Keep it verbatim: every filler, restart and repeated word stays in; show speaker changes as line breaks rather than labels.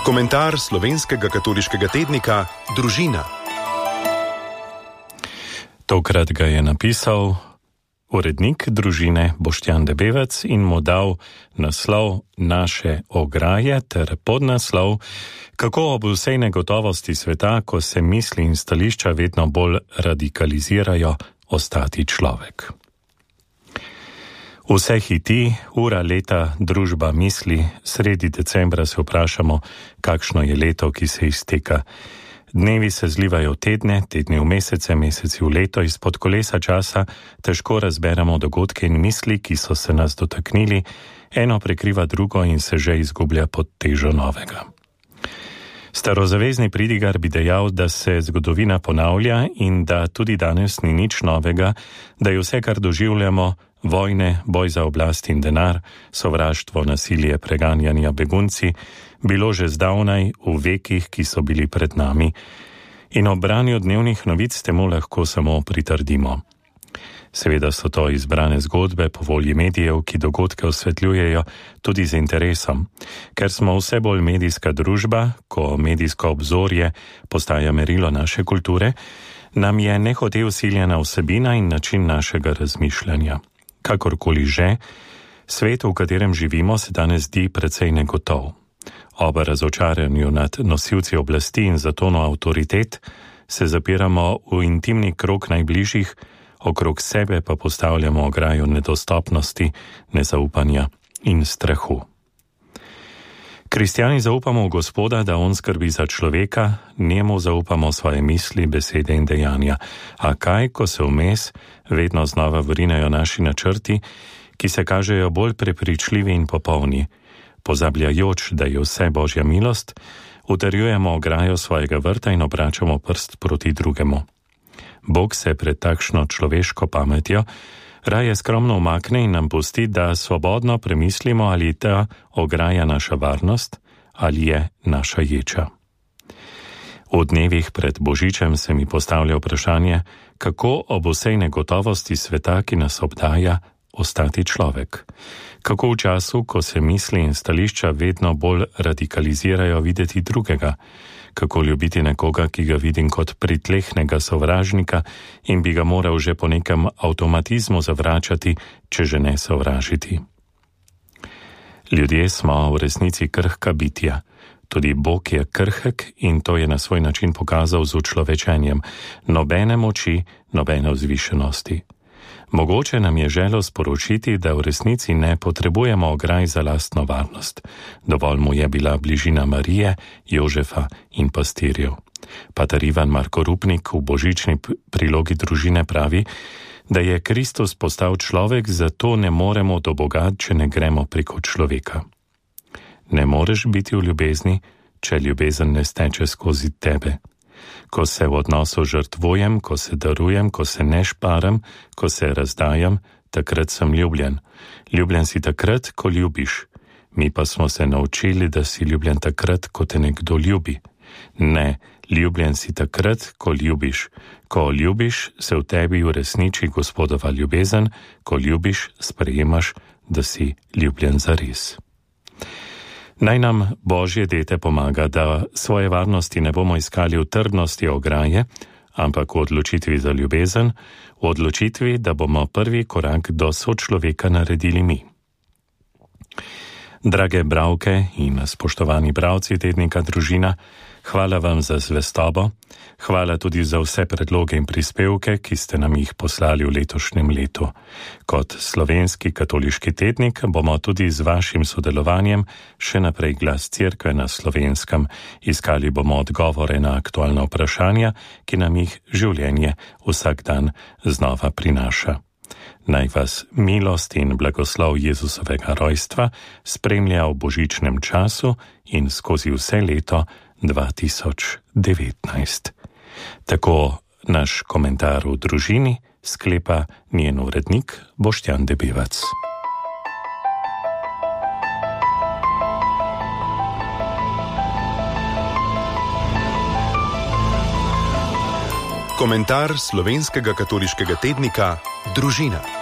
Komentar slovenskega katoliškega tednika Družina.
Tokrat ga je napisal urednik Družine Boštjan Debevec in mu dal naslov Naše ograje ter podnaslov Kako ob vsej negotovosti sveta, ko se misli in stališča vedno bolj radikalizirajo, ostati človek. Vse hiti, ura, leta, družba misli, sredi decembra se vprašamo, kakšno je leto, ki se izteka. Dnevi se zlivajo v tedne, tedni v mesece, meseci v leto, izpod kolesa časa težko razberemo dogodke in misli, ki so se nas dotaknili, eno prekriva drugo in se že izgublja pod težo novega. Starozavezni pridigar bi dejal, da se zgodovina ponavlja in da tudi danes ni nič novega, da je vse, kar doživljamo, vojne, boj za oblast in denar, sovraštvo, nasilje, preganjanja, begunci, bilo že zdavnaj v vekih, ki so bili pred nami, in ob branju dnevnih novic temu lahko samo pritrdimo. Seveda so to izbrane zgodbe po volji medijev, ki dogodke osvetljujejo tudi z interesom. Ker smo vse bolj medijska družba, ko medijsko obzorje postaja merilo naše kulture, nam je nehote vsiljena vsebina in način našega razmišljanja. Kakorkoli že, svet, v katerem živimo, se danes zdi precej negotov. Ob razočaranju nad nosilci oblasti in zatono avtoritet se zapiramo v intimni krog najbližjih, okrog sebe pa postavljamo ograjo nedostopnosti, nezaupanja in strahu. Kristjani zaupamo v Gospoda, da on skrbi za človeka, njemu zaupamo svoje misli, besede in dejanja. A kaj, ko se vmes vedno znova vrinajo naši načrti, ki se kažejo bolj prepričljivi in popolni, pozabljajoč, da je vse Božja milost, utrjujemo ograjo svojega vrta in obračamo prst proti drugemu. Bog se pred takšno človeško pametjo raje skromno umakne in nam pusti, da svobodno premislimo, ali je ta ograja naša varnost ali je naša ječa. V dnevih pred Božičem se mi postavlja vprašanje, kako ob vsej negotovosti sveta, ki nas obdaja, ostati človek. Kako v času, ko se misli in stališča vedno bolj radikalizirajo, videti drugega. Kako ljubiti nekoga, ki ga vidim kot pritlehnega sovražnika in bi ga moral že po nekem avtomatizmu zavračati, če že ne sovražiti. Ljudje smo v resnici krhka bitja. Tudi Bog je krhek in to je na svoj način pokazal z učlovečenjem. Nobene moči, nobene vzvišenosti. Mogoče nam je želel sporočiti, da v resnici ne potrebujemo ograj za lastno varnost. Dovolj mu je bila bližina Marije, Jožefa in pastirjev. Pater Ivan Marko Rupnik v božični prilogi Družine pravi, da je Kristus postal človek, zato ne moremo do Boga, če ne gremo preko človeka. Ne moreš biti v ljubezni, če ljubezen ne steče skozi tebe. Ko se v odnosu žrtvujem, ko se darujem, ko se ne šparam, ko se razdajam, takrat sem ljubljen. Ljubljen si takrat, ko ljubiš. Mi pa smo se naučili, da si ljubljen takrat, ko te nekdo ljubi. Ne, ljubljen si takrat, ko ljubiš. Ko ljubiš, se v tebi uresniči Gospodova ljubezen, ko ljubiš, sprejemaš, da si ljubljen zares. Naj nam Božje dete pomaga, da svoje varnosti ne bomo iskali v trdnosti ograje, ampak v odločitvi za ljubezen, v odločitvi, da bomo prvi korak do sočloveka naredili mi. Drage bralke in spoštovani bralci tednika Družina, hvala vam za zvestobo, hvala tudi za vse predloge in prispevke, ki ste nam jih poslali v letošnjem letu. Kot slovenski katoliški tednik bomo tudi z vašim sodelovanjem še naprej glas Cerkve na Slovenskem. Iskali bomo odgovore na aktualna vprašanja, ki nam jih življenje vsak dan znova prinaša. Naj vas milost in blagoslov Jezusovega rojstva spremlja v božičnem času in skozi vse leto dva tisoč devetnajst. Tako naš komentar v Družini sklepa njen urednik Boštjan Debevec.
Komentar slovenskega katoliškega tednika Družina.